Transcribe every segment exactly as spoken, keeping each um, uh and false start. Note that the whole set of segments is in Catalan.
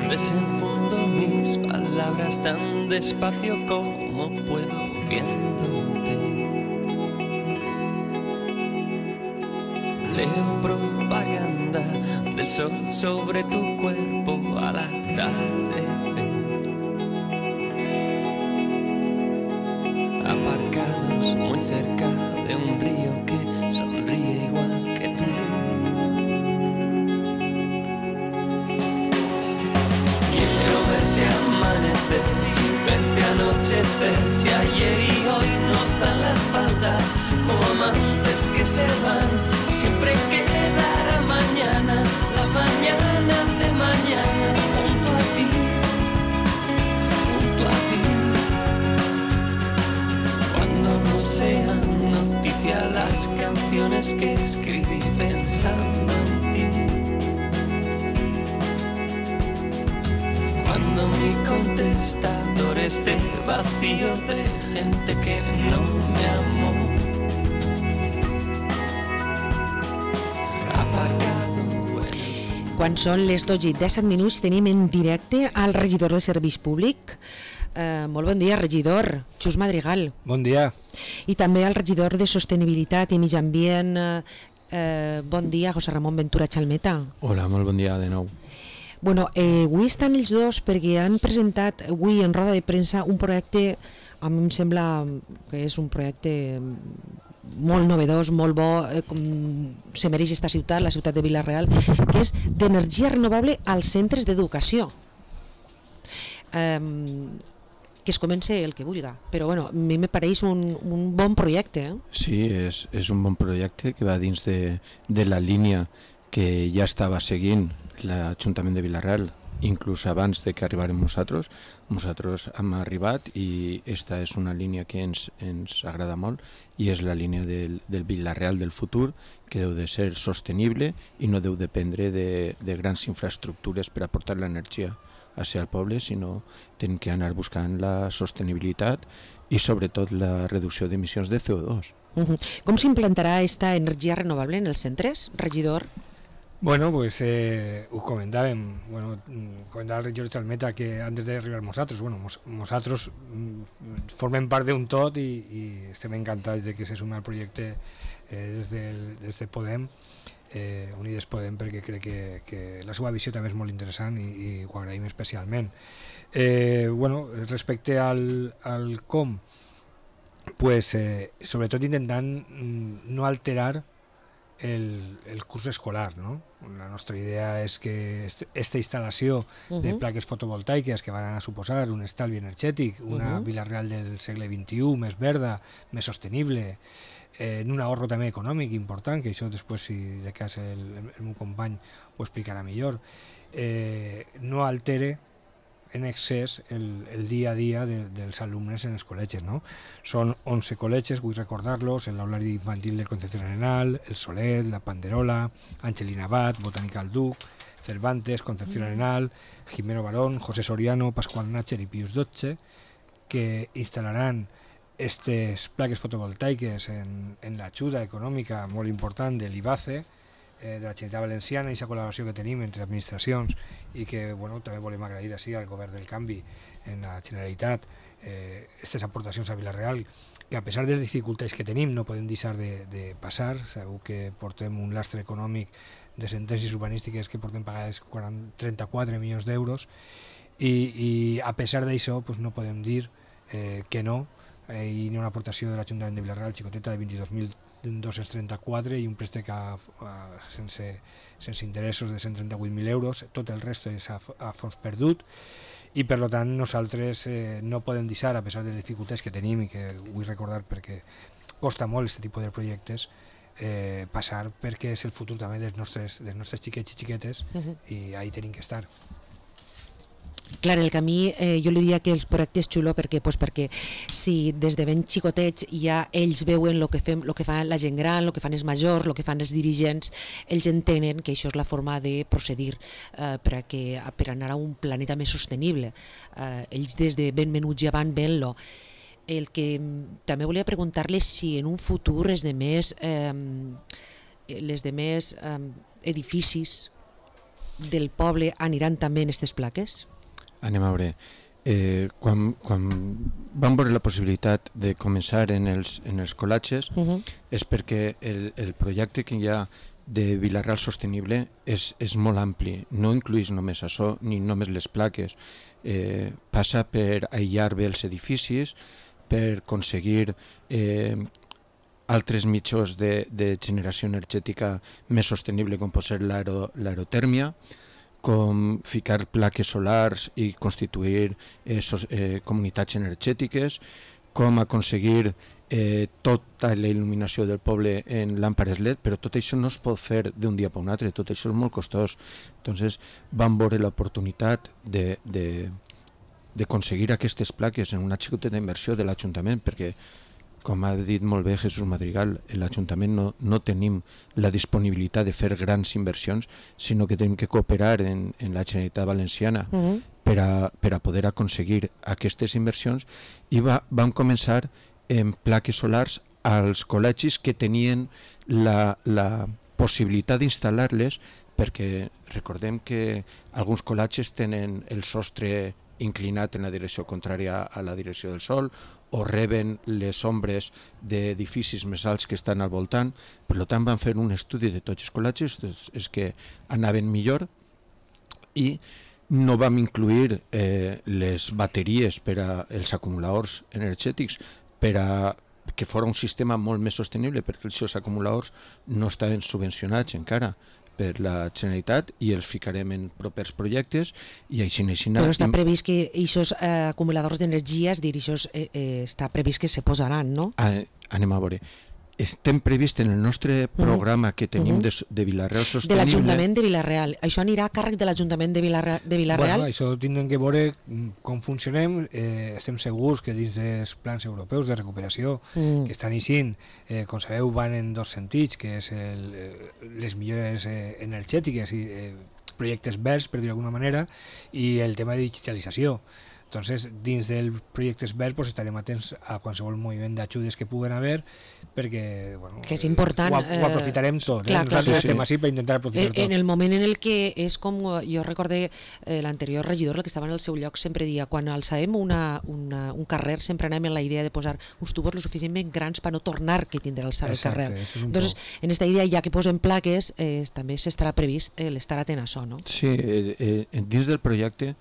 Desenfundo mis palabras tan despacio como puedo viéndote. Leo propaganda del sol sobre tu cuerpo al atardecer. Aparcados muy cerca de un río que sonríe igual que tú. Quiero verte amanecer y verte anochecer. Si ayer y hoy nos dan la espalda como amantes que se van, siempre quedará mañana, la mañana de mañana, junto a ti, junto a ti. Cuando no sean noticia las canciones que escribí pensando en ti. Cuando mi contestador esté vacío de gente que no me amó. Quan són les dotze i disset minuts tenim en directe al regidor de Serveis Públic. Eh, molt bon dia, regidor, Xus Madrigal. Bon dia. I també al regidor de Sostenibilitat i Mig Ambient, eh, bon dia, José Ramon Ventura Chalmeta. Hola, molt bon dia de nou. Bueno, eh, avui estan els dos perquè han presentat avui en roda de premsa un projecte, a mi em sembla que és un projecte molt novedós, molt bo, eh, com se mereix esta ciutat, la ciutat de Vila-real, que és d'energia renovable als centres d'educació. Eh, que es comence el que vulga, però bueno, a mi me pareix un, un bon projecte. Eh? Sí, és, és un bon projecte que va dins de, de la línia que ja estava seguint l'Ajuntament de Vila-real, inclús abans de que arribàrem nosaltres. Nosaltres hem arribat i esta és una línia que ens, ens agrada molt i és la línia del, del Vila-real del futur, que deu de ser sostenible i no deu dependre de, de grans infraestructures per aportar l'energia hacia el poble, sinó tenen que anar buscant la sostenibilitat i sobretot la reducció d'emissions de C O dos. Uh-huh. Com s'implantarà esta energia renovable en els centres, regidor? Bueno, pues eh, ho comentàvem, bueno, comentava el regidor Chalmeta que antes d'arribar nosaltres, bueno, nosaltres formem part d'un tot i, i estem encantats de que se sumi al projecte eh, des, del, des de Podem, eh, Unides Podem, perquè crec que, que la seva visió també és molt interessant i, i ho agraïm especialment. Eh, bueno, respecte al, al com, pues, eh, sobretot intentant no alterar El, el curs escolar, no? La nostra idea és que aquesta instal·lació uh-huh. de plaques fotovoltaiques que van a suposar un estalvi energètic, una uh-huh. Vila-real del segle vint-i-u més verda, més sostenible, eh, en un ahorro també econòmic important, que això després, si de cas el, el meu company ho explicarà millor, eh, no altere en excés el, el dia a dia de, dels alumnes en els col·legis, no? Són onze col·legis, vull recordar-los, el aulari infantil del Concepción Arenal, el Solet, la Panderola, Angelina Abad, Botànica al Duc, Cervantes, Concepción Arenal, Jimeno Barón, José Soriano, Pascual Nácher i Pius dotze, que instal·laran aquestes plaques fotovoltaiques en, en l'ajuda econòmica molt important de l'I B A C E, de la Generalitat Valenciana, i aquesta col·laboració que tenim entre administracions i que bueno, també volem agrair així al govern del canvi en la Generalitat aquestes eh, aportacions a Vila-real, que a pesar de les dificultats que tenim no podem deixar de, de passar. Segur que portem un lastre econòmic de sentències urbanístiques que portem pagades trenta-quatre milions d'euros i, i a pesar d'això pues, no podem dir eh, que no eh, i una aportació de l'Ajuntament de Vila-real xicoteta de vint-i-dos mil dos-cents trenta-quatre i un préstec a, a, sense, sense interessos de cent trenta-vuit mil euros, tot el resto és a, a fons perdut i per tant nosaltres eh, no podem deixar, a pesar de les dificultats que tenim i que vull recordar perquè costa molt aquest tipus de projectes, eh, passar perquè és el futur també dels nostres, dels nostres xiquets i xiquetes uh-huh. i ahí tenim que estar. Clar, el camí, eh, jo li diria que el projecte és xulo perquè, pues, perquè si des de ben xicotets ja ells veuen el que, fem, lo que fa la gent gran, el que fan els majors, el que fan els dirigents, ells entenen que això és la forma de procedir eh, per, a que, per anar a un planeta més sostenible. Eh, ells des de ben menuts ja van veient-lo. El que també volia preguntar-les si en un futur els demés, eh, les demés eh, edificis del poble aniran també en aquestes plaques? Anem a veure. Eh, quan, quan vam veure la possibilitat de començar en els, en els colatges, uh -huh. és perquè el, el projecte que hi ha de Vila-real sostenible és, és molt ampli, no incluïs només això ni només les plaques, eh, passa per aïllar bé els edificis, per aconseguir eh, altres mitjans de, de generació energètica més sostenible, com pot ser l'aerotèrmia, com ficar plaques solars i constituir eh, so, eh, comunitats energètiques, com aconseguir eh, tota la il·luminació del poble en làmpades L E D, però tot això no es pot fer d'un dia per un altre, tot això és molt costós. Entonces vam veure l'oportunitat de, de, d'aconseguir aquestes plaques en una xicoteta inversió de l'Ajuntament, perquè, com ha dit molt bé Jesús Madrigal, l'Ajuntament no, no tenim la disponibilitat de fer grans inversions, sinó que tenim que cooperar en, en la Generalitat Valenciana uh-huh. per, a, per a poder aconseguir aquestes inversions, i va, vam començar en plaques solars als col·legis que tenien la, la possibilitat d'instal·lar-les, perquè recordem que alguns col·legis tenen el sostre inclinat en la direcció contrària a la direcció del sol, o reben les ombres d'edificis més alts que estan al voltant. Per tant, van fer un estudi de tots els col·legis, és que anaven millor, i no vam incluir eh, les bateries per als acumuladors energètics per a que fos un sistema molt més sostenible, perquè els seus acumuladors no estaven subvencionats encara per la Generalitat, i els ficarem en propers projectes, i així així... Però està previst que aquests eh, acumuladors d'energia, és dir, això eh, eh, està previst que se posaran, no? Ah, anem a veure. Estem previst en el nostre programa uh-huh. que tenim uh-huh. de, de Vila-real Sostenible... De l'Ajuntament de Vila-real. Això anirà a càrrec de l'Ajuntament de Vila-real? De Vila-real? Bueno, això tindrem que veure com funcionem. Eh, estem segurs que dins dels plans europeus de recuperació mm. que estan eixint, eh, com sabeu, van en dos sentits, que és el, eh, les millores eh, energètiques i eh, projectes verds, per dir d'alguna manera, i el tema de digitalització. Entonces, dins del projectes verds pues, estarem atents a qualsevol moviment d'ajudes que puguen haver, perquè bueno, que és important, ho, ho aprofitarem tot. Clar, eh? Nosaltres clar, estem sí. així per intentar aprofitar en, tot. En el moment en el que és com, jo recordé eh, l'anterior regidor, el que estava en el seu lloc, sempre dia, quan alçàvem una, una, un carrer, sempre anem en la idea de posar uns tubos lo suficientment grans per no tornar que tindrà alçar el carrer. Entonces, en esta idea, ja que posem plaques, eh, també s'estarà previst eh, l'estar atent a això, no? Sí, eh, eh, dins del projecte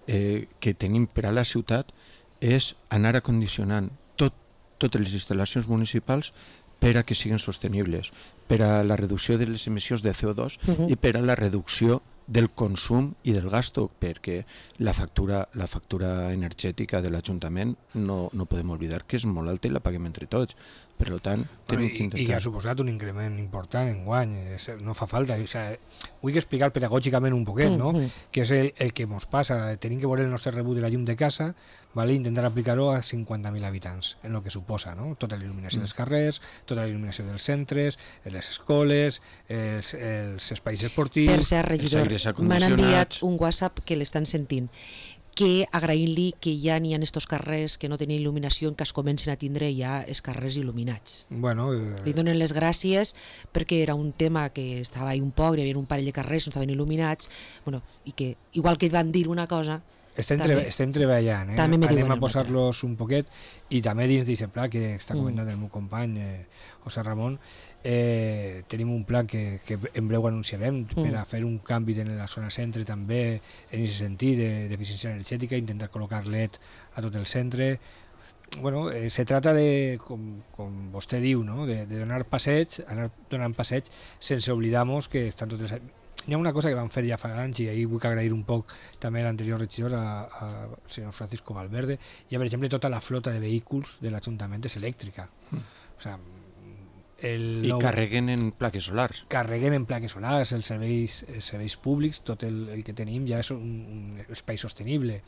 Eh, que tenim per a la ciutat és anar acondicionant tot, totes les instal·lacions municipals per a que siguin sostenibles, per a la reducció de les emissions de C O dos uh-huh. i per a la reducció del consum i del gasto, perquè la factura, la factura energètica de l'Ajuntament no, no podem oblidar que és molt alta i la paguem entre tots. Per tant, tenim que intentar... I, i ha suposat un increment important en guany, no fa falta. O sigui, vull explicar pedagògicament un poquet, no? Mm-hmm. que és el, el que ens passa. Tenim que veure el nostre rebut de la llum de casa, vale? Intentar aplicar-ho a cinquanta mil habitants, en el que suposa, no? Tota la il·luminació mm. dels carrers, tota la il·luminació dels centres, les escoles, els, els espais esportius... Per ser regidor, m'han enviat un WhatsApp que l'estan sentint, que agraint-li que ja n'hi ha estos carrers que no tenen il·luminació en cas comencen a tindre ja els carrers il·luminats. Bueno, eh... Li donen les gràcies perquè era un tema que estava ahí un poc, hi havia un parell de carrers que no estaven il·luminats, bueno, i que igual que van dir una cosa... Estem, també, estem treballant, eh? Anem a posar-los un poquet, i també dins d'aquest pla que està comentant mm. el meu company eh, José Ramon, eh, tenim un pla que, que en breu anunciarem mm. per a fer un canvi en la zona centre també en aquest sentit d'eficiència energètica, intentar col·locar L E D a tot el centre. Bueno, eh, se trata de, com, com vostè diu, no? de, de donar passeig, anar donant passeig sense oblidar-nos que estan totes... Hi ha una cosa que vam fer ja fa anys, i ahir vull agrair un poc també a l'anterior regidor, al senyor Francisco Valverde. Hi ha, per exemple, tota la flota de vehicles de l'Ajuntament és elèctrica. Mm. O sigui, el I nou... carreguen en plaques solars. Carreguem en plaques solars, els serveis, els serveis públics, tot el, el que tenim ja és un, un espai sostenible.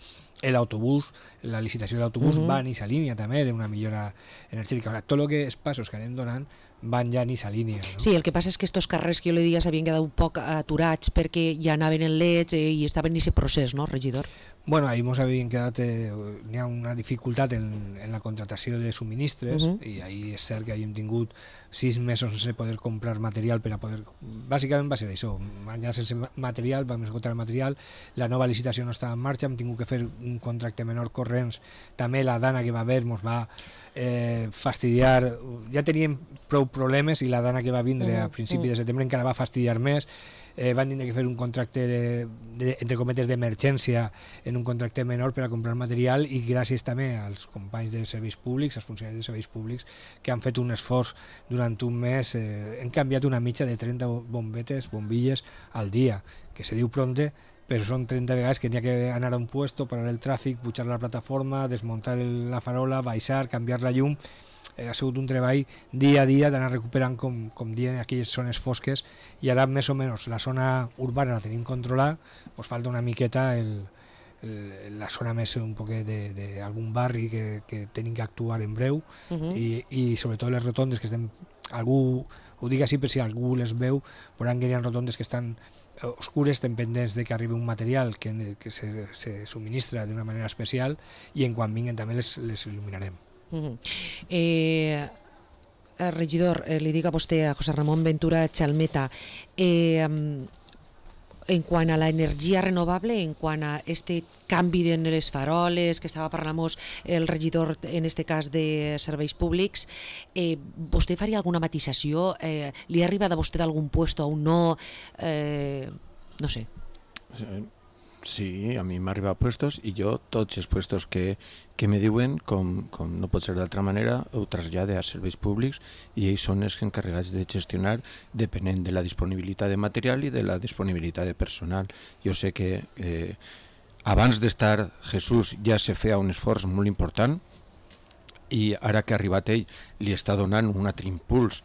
L'autobús, la licitació de l'autobús uh-huh. va en aquesta línia també d'una millora energètica. Ara, tot el que és passos que anem donant van ja en aquesta línia. No? Sí, el que passa és que estos carrers que jo li diria s'havien quedat un poc aturats perquè ja anaven en leds eh, i estaven en aquest procés, no, regidor? Bueno, ahí ens havien quedat, eh, n'hi ha una dificultat en, en la contratació de subministres uh -huh. i ahí és cert que hem tingut sis mesos sense poder comprar material per a poder... Bàsicament va ser això, vam quedar sense material, vam esgotar el material, la nova licitació no estava en marxa, hem tingut que fer un contracte menor corrents, també la dana que va haver ens va eh, fastidiar, ja teníem prou problemes i la dana que va vindre uh -huh. a principi uh -huh. de setembre encara va fastidiar més. Eh, van tindre que fer un contracte de, de, entre cometes d'emergència en un contracte menor per a comprar material i gràcies també als companys de serveis públics, als funcionaris de serveis públics que han fet un esforç durant un mes, eh, hem canviat una mitja de trenta bombetes, bombilles al dia, que se diu pronte, però són trenta vegades que n'hi ha que anar a un puesto, parar el tràfic, pujar la plataforma, desmuntar la farola, baixar, canviar la llum. Ha sigut un treball dia a dia d'anar recuperant, com, com diuen, aquelles zones fosques, i ara més o menys la zona urbana la tenim controlada, ens falta una miqueta el, el, la zona més un poc d'algun barri que, que tenim que actuar en breu, uh -huh. i, i sobretot les rotondes que estem, algú, ho dic així per si algú les veu, veuran que hi ha rotondes que estan oscures, estem pendents de que arribi un material que, que se, se subministra d'una manera especial i en quan vinguen també les, les il·luminarem. Uh-huh. eh, regidor, eh, li dic a vostè, a José Ramón Ventura Chalmeta, eh, en quant a la energia renovable, en quant a este canvi en les faroles que estava parlant el regidor en este cas de serveis públics, eh, vostè faria alguna matisació? Eh, li ha arribat a vostè d'algun puesto a un no? Eh, no sé. Sí, a mi m'ha arribat puestos i jo tots els puestos que, que me diuen, com, com no pot ser d'altra manera, ho trasllade a serveis públics i ells són els encarregats de gestionar depenent de la disponibilitat de material i de la disponibilitat de personal. Jo sé que eh, abans d'estar Jesús ja se feia un esforç molt important i ara que ha arribat ell li està donant un altre impuls,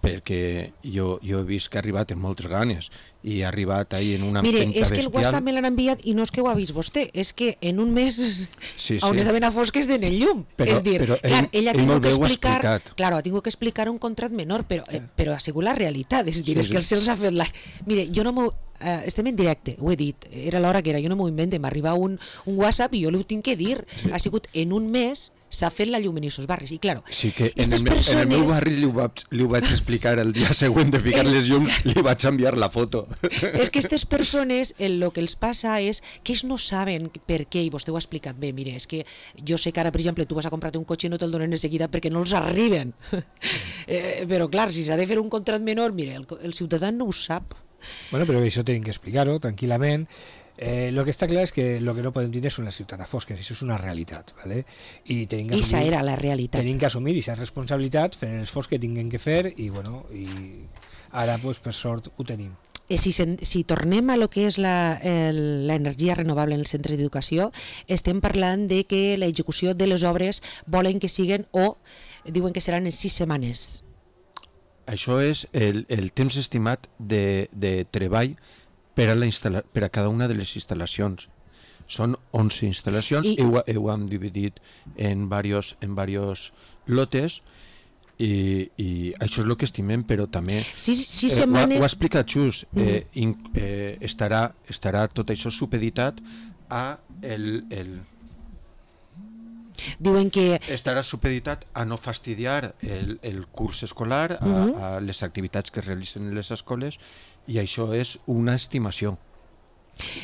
perquè jo, jo he vist que ha arribat amb moltes ganes i ha arribat ahí en una empenta bestial. Mire, és que el WhatsApp me l'han enviat i no és que ho ha vist vostè, és que en un mes sí, sí. on estaven a fosques de el llum. Però, és dir, però clar, ell, ell ha ell tingut que explicar, explicar, claro, ha tingut que explicar un contrat menor, però, eh, però ha sigut la realitat, és dir, sí, és que sí. se'ls ha fet la... Mire, jo no m'ho... Uh, estem en directe, ho he dit, era l'hora que era, jo no m'ho invente, m'arriba un, un WhatsApp i jo l'ho tinc que dir, sí. Ha sigut en un mes s'ha fet la llum en aquests barris i claro, sí que en el, persones... en el meu barri li ho, vaig, li ho vaig explicar el dia següent de ficar les llums, li vaig enviar la foto. És que aquestes persones el que els passa és que ells no saben per què, i vostè ho ha explicat bé, mire, és que jo sé que ara, per exemple, tu vas a comprar un cotxe i no te'l donen de seguida perquè no els arriben, eh, però clar, si s'ha de fer un contrat menor, mire, el, el ciutadà no ho sap. Bueno, però això tenim que explicar-ho tranquil·lament. Eh, lo que està clar és que el que no podem tindre són les ciutats fosques, això és una realitat, ¿vale? I tenim que assumir, era la realitat. Tenim que assumir aquestes responsabilitats, fer l'esforç que tinguem que fer i, bueno, i ara, pues, per sort, ho tenim. Eh, si, si tornem a lo que és l'energia renovable en el centre d'educació, estem parlant de que l'execució de les obres volen que siguen o diuen que seran en sis setmanes. Això és el, el temps estimat de, de treball per a, la per a cada una de les instal·lacions. Són onze instal·lacions i, i ho, ho hem dividit en diversos en diversos lotes i, i això és el que estimem, però també sí, sí, eh, setmanes... ho, ho ha explicat Xus, eh, in, eh, estarà, estarà tot això supeditat a el, el diuen que... estarà supeditat a no fastidiar el, el curs escolar, a, uh-huh. a les activitats que es realitzen en les escoles, i això és una estimació.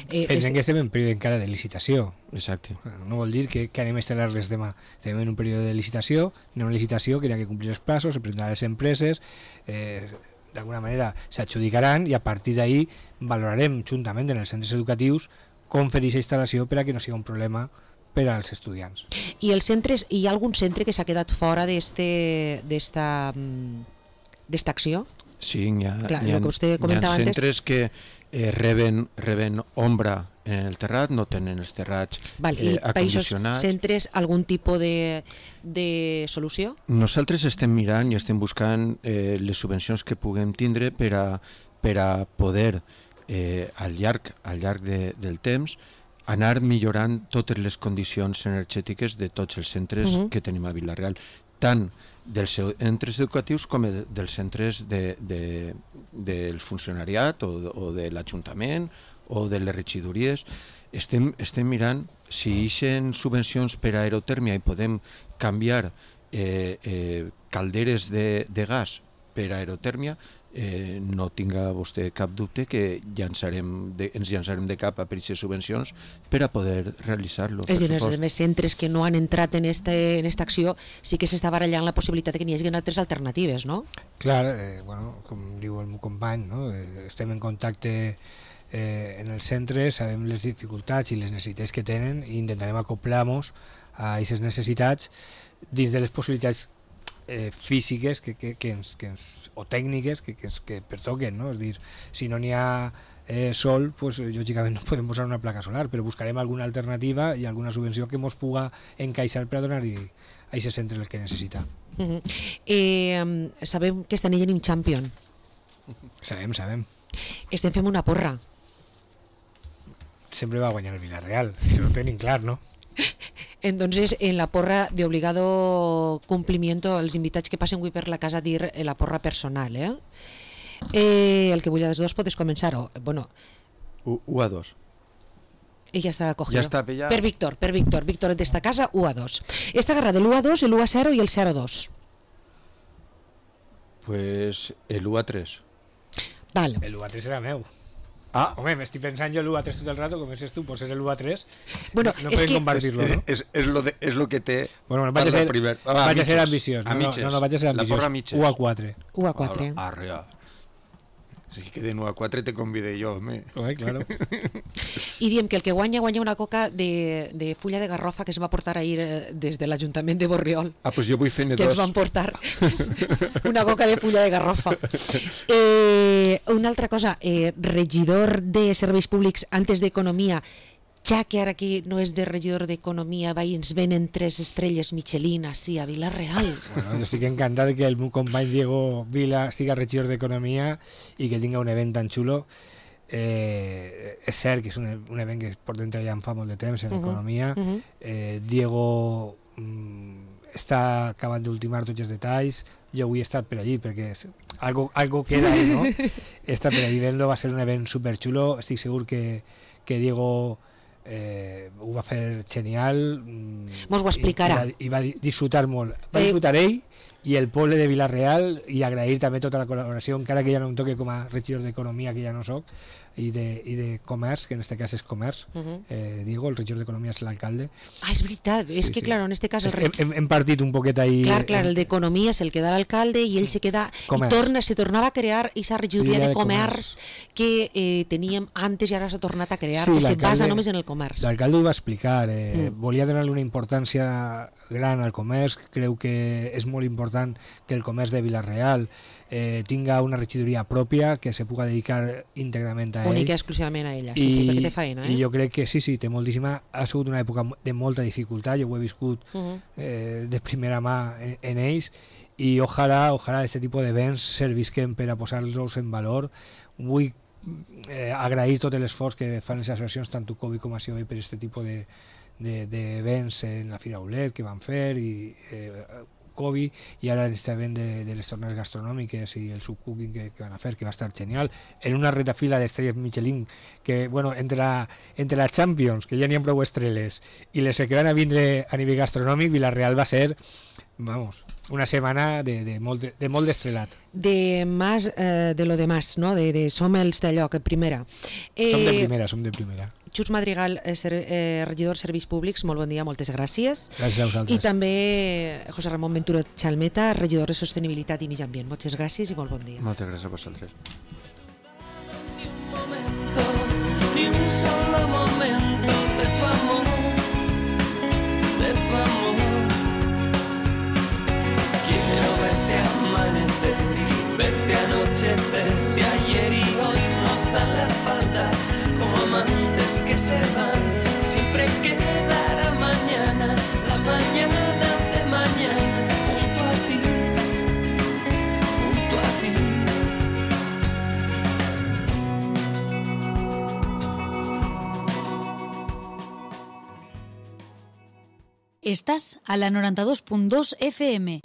Eh, Pensem este... que estem en període encara de licitació. Exacte. No vol dir que, que anem a instal·lar-les demà. Estem en un període de licitació, en una licitació que hi ha que complir els plaços, se prendran les empreses, eh, d'alguna manera s'adjudicaran i a partir d'ahí valorarem juntament en els centres educatius com fer aquesta instal·lació per a que no sigui un problema per als estudiants. I els centres, hi ha algun centre que s'ha quedat fora d'esta acció? Sí, hi ha, Clar, hi ha, que hi ha centres que eh, reben, reben ombra en el terrat, no tenen els terrats Val, eh, i acondicionats. I centres algun tipus de, de solució? Nosaltres estem mirant i estem buscant eh, les subvencions que puguem tindre per a, per a poder eh, al llarg, al llarg de, del temps anar millorant totes les condicions energètiques de tots els centres uh-huh. que tenim a Vila-real. tant dels centres educatius com dels centres de, de, del funcionariat o, o de l'Ajuntament o de les regidories. Estem, estem mirant si ixen subvencions per a aerotèrmia i podem canviar eh, eh, calderes de, de gas per a aerotèrmia, eh, no tinga vostè cap dubte que llançarem de, ens llançarem de cap a per aquestes subvencions per a poder realitzar-lo. És a dir, els més centres que no han entrat en esta en esta acció sí que s'està barallant la possibilitat que n'hi hagi altres alternatives, no? Clar, eh, bueno, com diu el meu company, no? eh, estem en contacte eh, en els centres, sabem les dificultats i les necessitats que tenen i intentarem acoplar-nos a aquestes necessitats dins de les possibilitats Eh, físiques que, que, que ens, que ens, o tècniques que, que, ens, que pertoquen, no? És dir, si no n'hi ha eh, sol, pues, lògicament no podem posar una placa solar, però buscarem alguna alternativa i alguna subvenció que ens puga encaixar per a donar-hi a aquest centre el que necessita. Uh -huh. eh, sabem que estan en un champion. Sabem, sabem. Estem fent una porra. Sempre va guanyar el Villarreal, això ho tenim clar, no? Entonces, en la porra de obligado cumplimiento, els invitats que passen avui per la casa dir la porra personal, eh? eh el que vull a les dos podes començar, o, bueno... u a dos. I ja està cogido. Ja està pillat. Per Víctor, per Víctor, Víctor d'esta casa, u a dos. Esta guerra de l'u a dos, l'u a zero i el zero a dos. Pues el u a tres. Val. El u a tres era meu. Ah, Home, m'estic pensant jo l'u a tres tot el rato, com és tu, pues és el u a tres. Bueno, no és podem que... compartir-lo, no? És, és, lo de, és lo que té... Bueno, bueno, vaig a ser, primer. ah, vaig a ser ambiciós. A No, mitges. no, no, vaig a ser ambiciós. La porra a mitges. u a quatre. u a quatre. Arrea. Si que de u a quatre te convidé jo, home. Home, claro. I diem que el que guanya, guanya una coca de, de fulla de garrofa que es va portar ahir eh, des de l'Ajuntament de Borriol. Ah, pues jo vull fer-ne Que dos. ens van portar una coca de fulla de garrofa. Eh, una altra cosa, eh, regidor de Serveis Públics antes d'Economia, ja que ara aquí no és de regidor d'Economia, va i ens venen tres estrelles Michelin així a Vila-real. Bueno, jo estic encantat que el meu company Diego Vila siga regidor d'Economia i que tinga un event tan xulo. Eh, és cert que és un, un event que portem treballant fa molt de temps en uh -huh, Economia. Uh -huh. eh, Diego mm, està acabant d'ultimar tots els detalls. Jo avui he estat per allí perquè és, algo, algo queda ahí, no? He estat per allí vent-lo, va ser un event superxulo. Estic segur que, que Diego eh, ho va fer genial. Mos ho explicarà. I, i, va, i va disfrutar molt. Va disfrutar eh... ell i el poble de Vila-real, i agrair també tota la col·laboració, encara que ja no em toque com a regidor d'Economia, que ja no soc, i de, i de Comerç, que en aquest cas és Comerç. Uh -huh. eh, Diego, el regidor d'Economia, és l'alcalde. Ah, és veritat, sí, és que sí. Claro, en este cas... El hem, hem, hem partit un poquet ahí... Clar, clar, el d'Economia és el que da l'alcalde i ell se queda... Comerç. I torna, se tornava a crear aquesta regidoria de, de Comerç que eh, teníem antes i ara s'ha tornat a crear, sí, que se basa només en el comerç. L'alcalde ho va explicar, eh, mm. volia donar-li una importància gran al comerç, creu que és molt important que el comerç de Vila-real eh, tinga una regidoria pròpia que se puga dedicar íntegrament a ell. Única i exclusivament a ella, sí, I, sí, perquè té feina. Eh? I jo crec que sí, sí, té moltíssima. Ha sigut una època de molta dificultat, jo ho he viscut uh -huh. eh, de primera mà en, en ells, i ojalà, ojalà aquest tipus d'events servisquen per a posar-los en valor. Vull eh, agrair tot l'esforç que fan les associacions, tant Covid com a C O E, per aquest tipus de d'events de, en la Fira Aulet que van fer, i eh, Covid, i ara en este event de, de les tornes gastronòmiques i el subcooking que, que van a fer, que va estar genial, en una retafila d'estrelles Michelin, que, bueno, entre la, entre la Champions, que ja n'hi ha prou estrelles, i les que van a vindre a nivell gastronòmic, Vila-real va ser, vamos, una setmana de, de molt de, de molt d'estrelat. De más, eh, de lo demás, no? De, de som els d'allò, que primera. Eh, som de primera, som de primera. Xus Madrigal, eh, ser, eh, regidor de Serveis Públics, molt bon dia, moltes gràcies. Gràcies a vosaltres. I també José Ramon Ventura Chalmeta, regidor de Sostenibilitat i Mig Ambient. Moltes gràcies i molt bon dia. Moltes gràcies a vosaltres. Ni un solo momento de tu amor, de tu amor. Quiero verte amanecer y verte anochecer, si ayer y hoy nos dan la espalda como amantes que se van, siempre quedará mañana, la mañana de mañana, junto a ti, junto a ti. Estás a la noranta dos punt dos F M.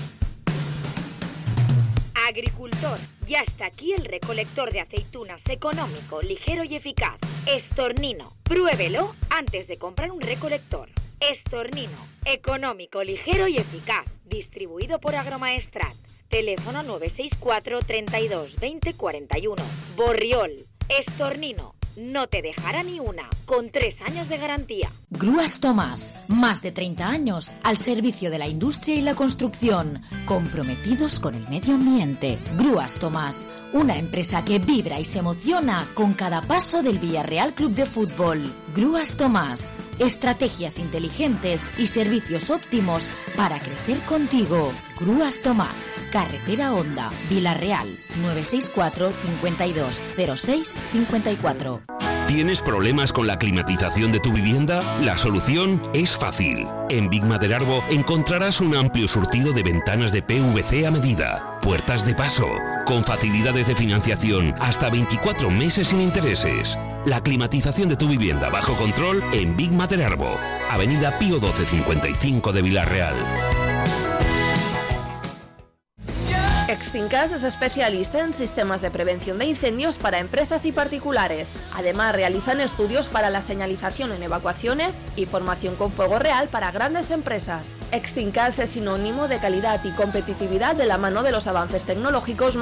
agricultor, ya está aquí el recolector de aceitunas económico, ligero y eficaz. Estornino. Pruébelo antes de comprar un recolector. Estornino. Económico, ligero y eficaz. Distribuido por Agromaestrat. Teléfono nueve seis cuatro, treinta y dos, veinte, cuarenta y uno. Borriol. Estornino. No te dejará ni una, con tres años de garantía. Grúas Tomás, más de treinta años al servicio de la industria y la construcción, comprometidos con el medio ambiente. Grúas Tomás, una empresa que vibra y se emociona con cada paso del Villarreal Club de Fútbol. Grúas Tomás, estrategias inteligentes y servicios óptimos para crecer contigo. Grúas Tomás, Carretera Honda, Villarreal, nueve seis cuatro, cincuenta y dos, cero seis, cincuenta y cuatro. ¿Tienes problemas con la climatización de tu vivienda? La solución es fácil. En Big Maderarbo encontrarás un amplio surtido de ventanas de P V C a medida, puertas de paso, con facilidades de financiación hasta veinticuatro meses sin intereses. La climatización de tu vivienda bajo control en Big Maderarbo, Avenida Pío doce cincuenta y cinco de Villarreal. Exfincas es especialista en sistemas de prevención de incendios para empresas y particulares. Además, realizan estudios para la señalización en evacuaciones y formación con fuego real para grandes empresas. Exfincas es sinónimo de calidad y competitividad de la mano de los avances tecnológicos